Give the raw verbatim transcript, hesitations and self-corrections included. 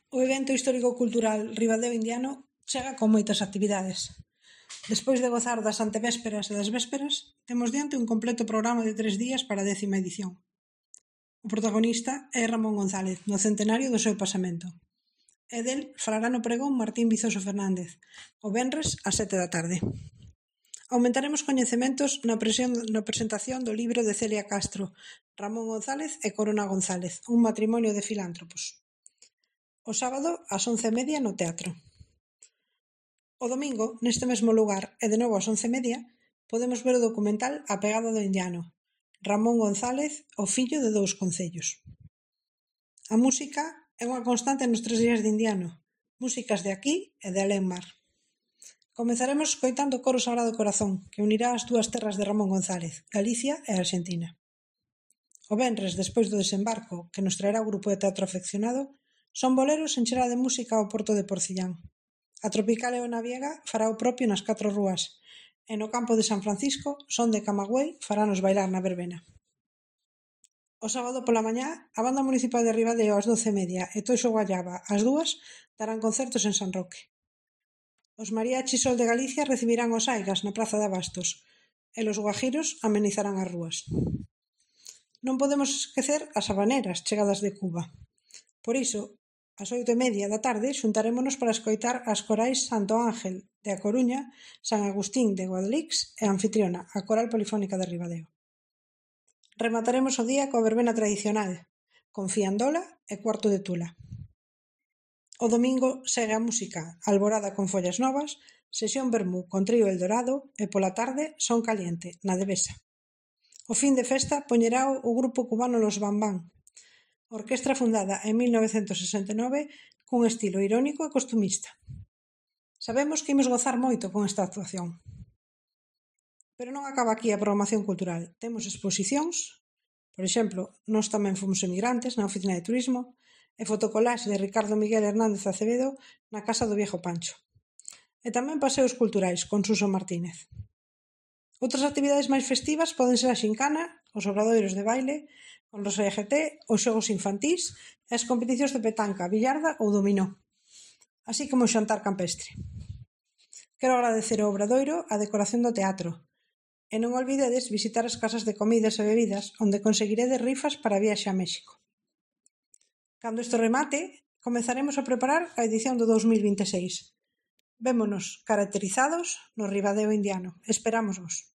O evento histórico-cultural Ribadeo Indiano chega con moitas actividades. Despois de gozar das antevésperas e das vésperas, temos diante un completo programa de tres días para a décima edición. O protagonista é Ramón González, no centenario do seu pasamento. E del falará no pregón Martín Vizoso Fernández, o venres ás sete da tarde. Aumentaremos coñecementos na, presión, na presentación do libro de Celia Castro, Ramón González e Corona González, un matrimonio de filántropos. O sábado, ás once e media, no teatro. O domingo, neste mesmo lugar, e de novo ás once e media, podemos ver o documental A pegada do indiano, Ramón González, o fillo de dous concellos. A música é unha constante nos tres días de Indiano, músicas de aquí e de alén mar. Comezaremos escoitando o Coro Sagrado Corazón, que unirá as dúas terras de Ramón González, Galicia e Arxentina. O venres, despois do desembarco, que nos traerá o grupo de teatro afeccionado, son boleros en chela de música ao Porto de Porcillán. A Tropical Eona Viega fará o propio nas catro rúas, e no campo de San Francisco, Son de Camagüey faranos bailar na verbena. O sábado pola mañá, a Banda Municipal de Ribadeo ás doce e media e Toixo Guallaba ás dúas darán concertos en San Roque. Os mariachis Sol de Galicia recibirán os Aigas na Praza de Abastos e los guajiros amenizarán as rúas. Non podemos esquecer as habaneras chegadas de Cuba. Por iso, ás oito e media da tarde xuntarémonos para escoitar as corais Santo Ángel de A Coruña, San Agustín de Guadalix e Anfitriona, a Coral Polifónica de Ribadeo. Remataremos o día coa verbena tradicional, con fiandola e cuarto de tula. O domingo segue a música, alborada con follas novas, sesión vermú con trío Eldorado e pola tarde son caliente, na Devesa. O fin de festa poñerá o grupo cubano Los Bambán, orquestra fundada en mil novecentos sesenta e nove cun estilo irónico e costumista. Sabemos que imos gozar moito con esta actuación. Pero non acaba aquí a programación cultural. Temos exposicións, por exemplo, Nós tamén fomos emigrantes, na Oficina de Turismo, e fotocolaxe de Ricardo Miguel Hernández Acevedo na Casa do Viejo Pancho. E tamén paseos culturais con Suso Martínez. Outras actividades máis festivas poden ser a xincana, os obradoiros de baile, con los E G T, os xogos infantís e as competicións de petanca, billarda ou dominó, así como o xantar campestre. Quero agradecer ao Obradoiro a decoración do teatro e non olvidedes visitar as casas de comidas e bebidas onde conseguiredes rifas para a viaxe a México. Cando isto remate, comezaremos a preparar a edición do dous mil vinte e seis. Vémonos caracterizados no Ribadeo Indiano. Esperámosvos.